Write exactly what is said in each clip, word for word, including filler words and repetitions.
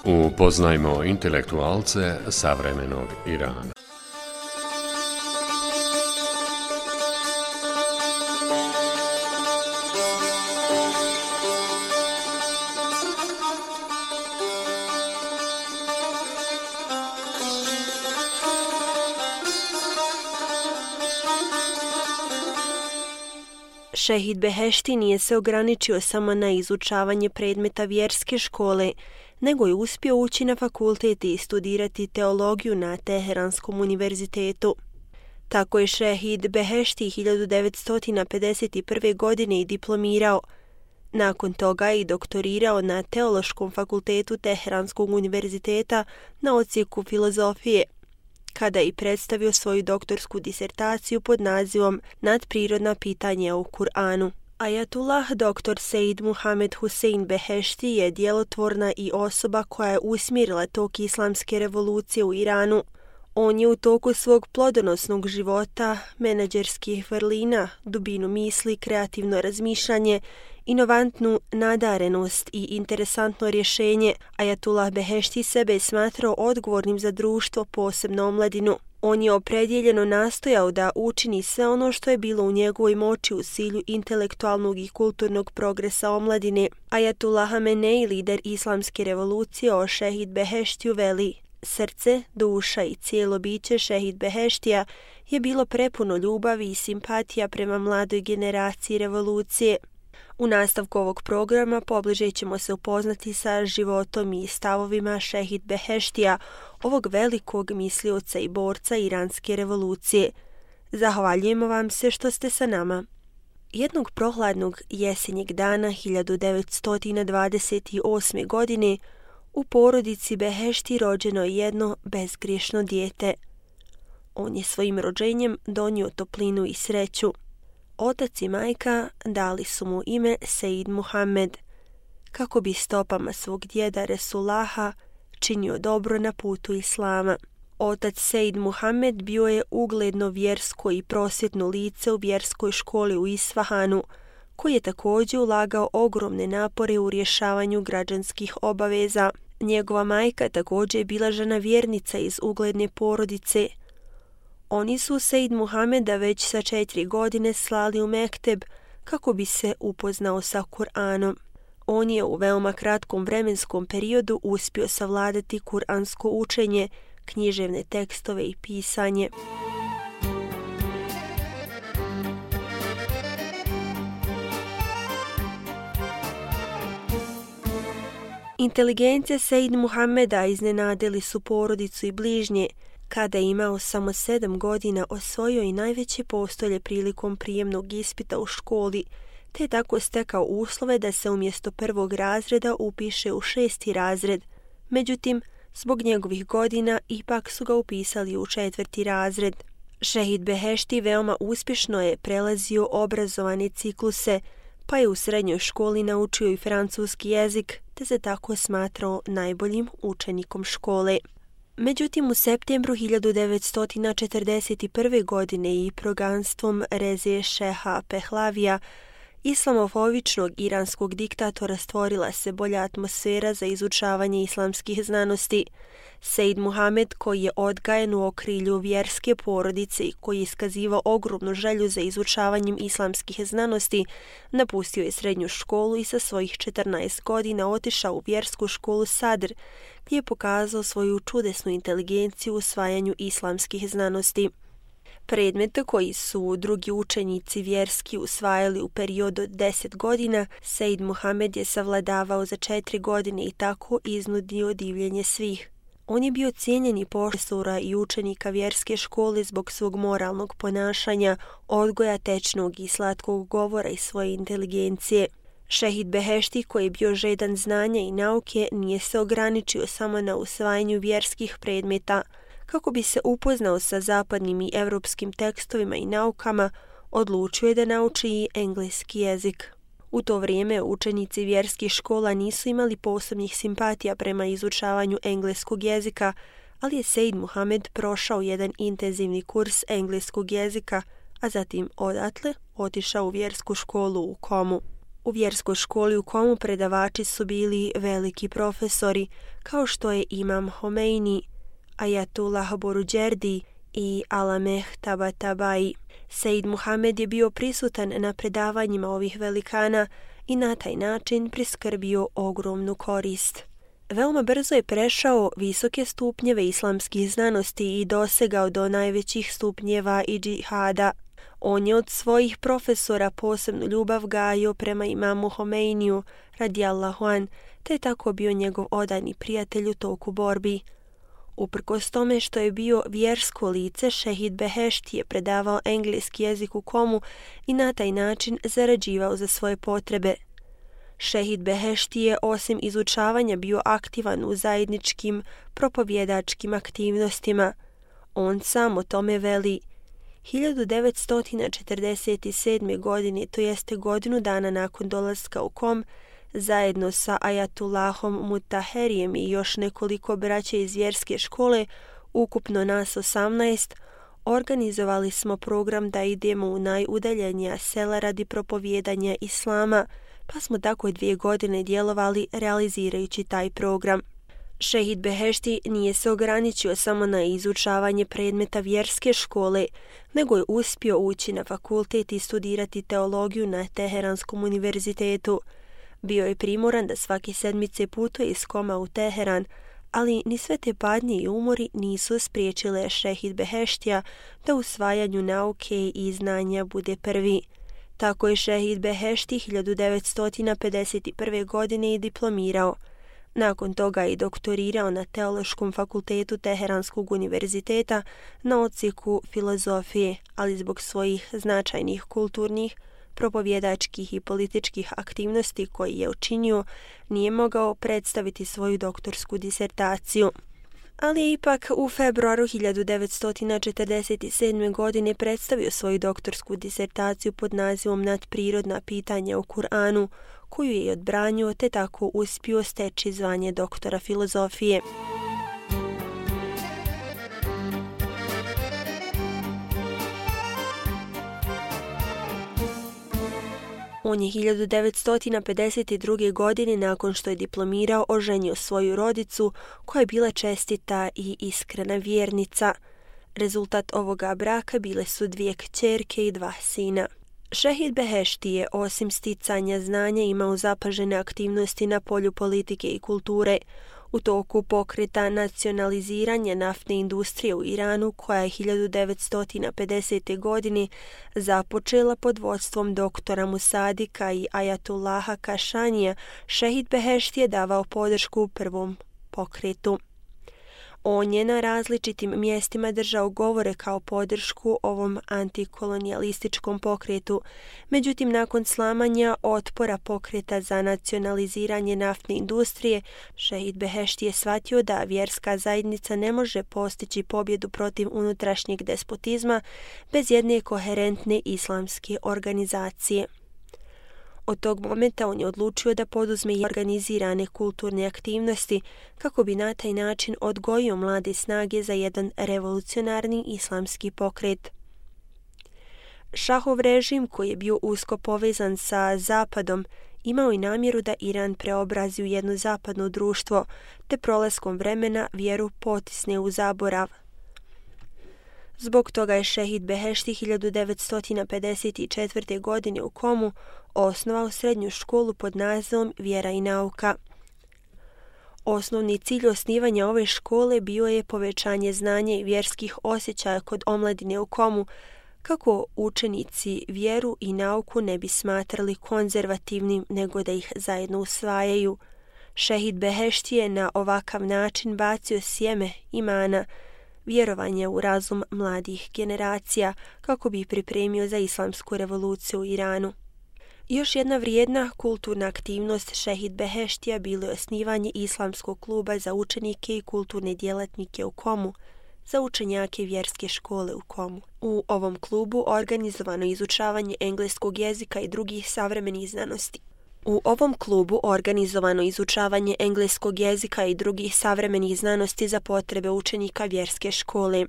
Upoznajmo intelektualce savremenog Irana. Šehid Behešti nije se ograničio samo na izučavanje predmeta vjerske škole, nego je uspio ući na fakultet i studirati teologiju na Teheranskom univerzitetu. Tako je Šehid Behešti hiljadu devetsto pedeset prve. godine i diplomirao. Nakon toga je i doktorirao na Teološkom fakultetu Teheranskog univerziteta na odsjeku filozofije, kada je predstavio svoju doktorsku disertaciju pod nazivom Nadprirodna pitanja u Kur'anu. Ajatullah doktor Sejd Muhamed Husein Behešti je djelotvorna i osoba koja je usmjerila tok islamske revolucije u Iranu. On je u toku svog plodonosnog života, menadžerskih vrlina, dubinu misli, kreativno razmišljanje, inovantnu nadarenost i interesantno rješenje, Ajatullah Behešti sebe smatrao odgovornim za društvo, posebno omladinu. On je opredjeljeno nastojao da učini sve ono što je bilo u njegovoj moći u cilju intelektualnog i kulturnog progresa omladine. Ajatullah Hamenei, lider islamske revolucije, o Šehid Beheštiju veli: srce, duša i cijelo biće Šehid Beheštija je bilo prepuno ljubavi i simpatija prema mladoj generaciji revolucije. U nastavku ovog programa pobliže ćemo se upoznati sa životom i stavovima Šehid Beheštija, ovog velikog mislioca i borca iranske revolucije. Zahvaljujemo vam se što ste sa nama. Jednog prohladnog jesenjeg dana hiljadu devetsto dvadeset osme. godine u porodici Behešti rođeno je jedno bezgriješno dijete. On je svojim rođenjem donio toplinu i sreću. Otac i majka dali su mu ime Sejd Muhammed, kako bi stopama svog djeda Resulaha činio dobro na putu islama. Otac Sejd Muhammed bio je ugledno vjersko i prosvjetno lice u vjerskoj školi u Isfahanu, koji je također ulagao ogromne napore u rješavanju građanskih obaveza. Njegova majka također je bila žena vjernica iz ugledne porodice. Oni su Sejd Muhameda već sa četiri godine slali u mekteb kako bi se upoznao sa Kur'anom. On je u veoma kratkom vremenskom periodu uspio savladati kuransko učenje, književne tekstove i pisanje. Inteligencija Sejd Muhameda iznenadili su porodicu i bližnje. Kada je imao samo sedam godina, osvojio i najveće postolje prilikom prijemnog ispita u školi, te je tako stekao uslove da se umjesto prvog razreda upiše u šesti razred. Međutim, zbog njegovih godina ipak su ga upisali u četvrti razred. Šehid Behešti veoma uspješno je prelazio obrazovane cikluse, pa je u srednjoj školi naučio i francuski jezik, te se tako smatrao najboljim učenikom škole. Međutim, u septembru hiljadu devetsto četrdeset prve. godine i proganstvom Reze Šeha Pehlavija, islamofobičnog iranskog diktatora, stvorila se bolja atmosfera za izučavanje islamskih znanosti. Sejd Muhamed, koji je odgajen u okrilju vjerske porodice i koji je iskazivao ogromnu želju za izučavanjem islamskih znanosti, napustio je srednju školu i sa svojih četrnaest godina otišao u vjersku školu Sadr, gdje je pokazao svoju čudesnu inteligenciju u usvajanju islamskih znanosti. Predmete koji su drugi učenici vjerski usvajali u periodu od deset godina, Sejd Muhamed je savladavao za četiri godine i tako iznudio divljenje svih. On je bio cijenjeni profesora i učenika vjerske škole zbog svog moralnog ponašanja, odgoja tečnog i slatkog govora i svoje inteligencije. Šehid Behešti, koji je bio žedan znanja i nauke, nije se ograničio samo na usvajanju vjerskih predmeta. Kako bi se upoznao sa zapadnim i evropskim tekstovima i naukama, odlučio je da nauči i engleski jezik. U to vrijeme učenici vjerskih škola nisu imali posebnih simpatija prema izučavanju engleskog jezika, ali je Sejd Muhamed prošao jedan intenzivni kurs engleskog jezika, a zatim odatle otišao u vjersku školu u Komu. U vjerskoj školi u Komu predavači su bili veliki profesori, kao što je Imam Homeini, Ajatullah Boruđerdi i Alameh Tabatabai. Sejd Muhamed je bio prisutan na predavanjima ovih velikana i na taj način priskrbio ogromnu korist. Veoma brzo je prešao visoke stupnjeve islamskih znanosti i dosegao do najvećih stupnjeva i džihada. On je od svojih profesora posebnu ljubav gajio prema imamu Homeiniju radijallahu an, te je tako bio njegov odani prijatelj u toku borbi. Uprkos tome što je bio vjersko lice, Šehid Behešti je predavao engleski jezik u Komu i na taj način zarađivao za svoje potrebe. Šehid Behešti je osim izučavanja bio aktivan u zajedničkim propovjedačkim aktivnostima. On sam o tome veli: hiljadu devetsto četrdeset sedme. godine, to jeste godinu dana nakon dolaska u Kom, zajedno sa Ajatullahom Mutaherijem i još nekoliko braća iz vjerske škole, ukupno nas osamnaest, organizovali smo program da idemo u najudaljenija sela radi propovjedanja islama, pa smo tako dvije godine djelovali realizirajući taj program. Šehid Behešti nije se ograničio samo na izučavanje predmeta vjerske škole, nego je uspio ući na fakultet i studirati teologiju na Teheranskom univerzitetu. Bio je primoran da svake sedmice putuje iz Koma u Teheran, ali ni sve te padnje i umori nisu spriječile Šehid Beheštija da u usvajanju nauke i znanja bude prvi. Tako je Šehid Behešti hiljadu devetsto pedeset prve. godine i diplomirao. Nakon toga je doktorirao na Teološkom fakultetu Teheranskog univerziteta na odsjeku filozofije, ali zbog svojih značajnih kulturnih, propovjedačkih i političkih aktivnosti koje je učinio, nije mogao predstaviti svoju doktorsku disertaciju. Ali je ipak u februaru hiljadu devetsto četrdeset sedme. godine predstavio svoju doktorsku disertaciju pod nazivom Nadprirodna pitanja o Kur'anu, koju je odbranio te tako uspio steći zvanje doktora filozofije. On je hiljadu devetsto pedeset druge. godine, nakon što je diplomirao, oženio svoju rodicu, koja je bila čestita i iskrena vjernica. Rezultat ovoga braka bile su dvije kćerke i dva sina. Šehid Behešti je osim sticanja znanja imao zapažene aktivnosti na polju politike i kulture. U toku pokreta nacionaliziranja naftne industrije u Iranu, koja je hiljadu devetsto pedesete. godine započela pod vodstvom doktora Musadika i Ajatullaha Kašanija, Šehid Behešti je davao podršku prvom pokretu. On je na različitim mjestima držao govore kao podršku ovom antikolonijalističkom pokretu. Međutim, nakon slamanja otpora pokreta za nacionaliziranje naftne industrije, Šehid Behešti je shvatio da vjerska zajednica ne može postići pobjedu protiv unutrašnjeg despotizma bez jedne koherentne islamske organizacije. Od tog momenta on je odlučio da poduzme i organizirane kulturne aktivnosti kako bi na taj način odgojio mlade snage za jedan revolucionarni islamski pokret. Šahov režim, koji je bio usko povezan sa Zapadom, imao i namjeru da Iran preobrazi u jedno zapadno društvo, te prolaskom vremena vjeru potisne u zaborav. Zbog toga je Šehid Behešti hiljadu devetsto pedeset četvrte. godine u Komu osnovao srednju školu pod nazivom Vjera i nauka. Osnovni cilj osnivanja ove škole bio je povećanje znanja i vjerskih osjećaja kod omladine u Komu, kako učenici vjeru i nauku ne bi smatrali konzervativnim, nego da ih zajedno usvajaju. Šehid Behešti je na ovakav način bacio sjeme imana, vjerovanje u razum mladih generacija, kako bi ih pripremio za islamsku revoluciju u Iranu. Još jedna vrijedna kulturna aktivnost Šehid Beheštija bilo je osnivanje islamskog kluba za učenike i kulturne djelatnike u Komu, za učenjake vjerske škole u Komu. U ovom klubu organizovano izučavanje engleskog jezika i drugih savremenih znanosti. U ovom klubu organizovano izučavanje engleskog jezika i drugih savremenih znanosti za potrebe učenika vjerske škole.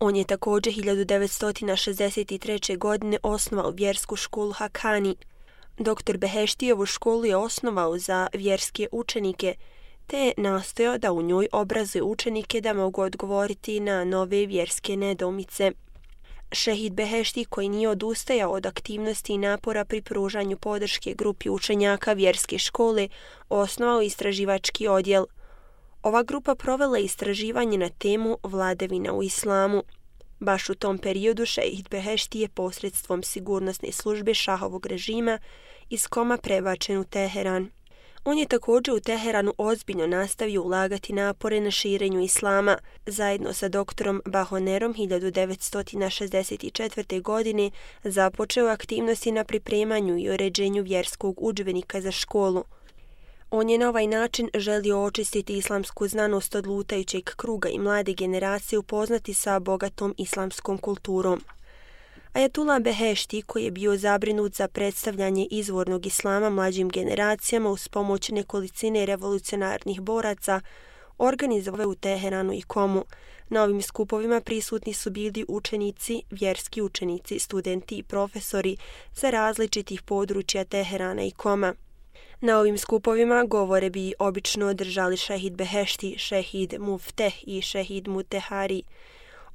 On je također hiljadu devetsto šezdeset treće. godine osnovao vjersku školu Hakani. Doktor Beheštijevu školu je osnovao za vjerske učenike, te je nastojao da u njoj obrazuje učenike da mogu odgovoriti na nove vjerske nedoumice. Šehid Behešti, koji nije odustajao od aktivnosti i napora pri pružanju podrške grupi učenjaka vjerske škole, osnovao istraživački odjel. Ova grupa provela istraživanje na temu vladavina u islamu. Baš u tom periodu šehid Behešti je posredstvom sigurnosne službe šahovog režima iz Koma prebačen u Teheran. On je također u Teheranu ozbiljno nastavio ulagati napore na širenju islama. Zajedno sa doktorom Bahonerom hiljadu devetsto šezdeset četvrte. godine započeo aktivnosti na pripremanju i uređenju vjerskog udžbenika za školu. On je na ovaj način želio očistiti islamsku znanost od lutajućeg kruga i mlade generacije upoznati sa bogatom islamskom kulturom. Ajatullah Behešti, koji je bio zabrinut za predstavljanje izvornog islama mlađim generacijama uz pomoć nekolicine revolucionarnih boraca, organizovao u Teheranu i Komu. Na ovim skupovima prisutni su bili učenici, vjerski učenici, studenti i profesori sa različitih područja Teherana i Koma. Na ovim skupovima govore bi obično održali šehid Behešti, šehid Mufteh i šehid Mutehari.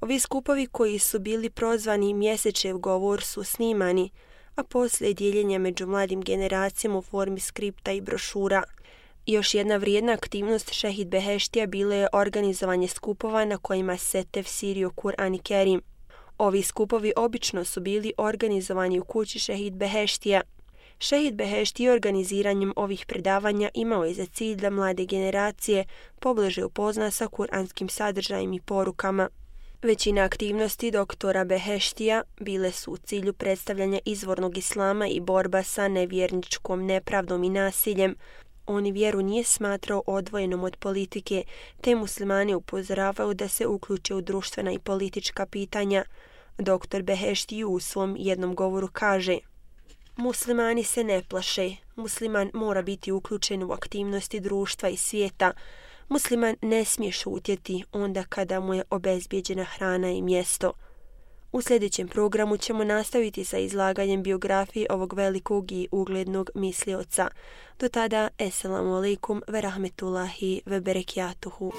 Ovi skupovi koji su bili prozvani mjesečev govor su snimani, a poslije dijeljenja među mladim generacijama u formi skripta i brošura. Još jedna vrijedna aktivnost šehid Beheštija bila je organizovanje skupova na kojima se tefsirio Kur'an Kerim. Ovi skupovi obično su bili organizovani u kući šehid Beheštija. Šehid Behešti organiziranjem ovih predavanja imao je za cilj da mlade generacije pobliže upozna sa kuranskim sadržajem i porukama. Većina aktivnosti doktora Beheštija bile su u cilju predstavljanja izvornog islama i borba sa nevjerničkom nepravdom i nasiljem. On vjeru nije smatrao odvojenom od politike, te muslimane upozoravao da se uključe u društvena i politička pitanja. Doktor Behešti u svom jednom govoru kaže: Muslimani se ne plaše, musliman mora biti uključen u aktivnosti društva i svijeta. Musliman ne smije šutjeti onda kada mu je obezbijeđena hrana i mjesto. U sljedećem programu ćemo nastaviti sa izlaganjem biografije ovog velikog i uglednog mislioca. Do tada, eselamu alaikum ve rahmetullahi ve berekjatuhu.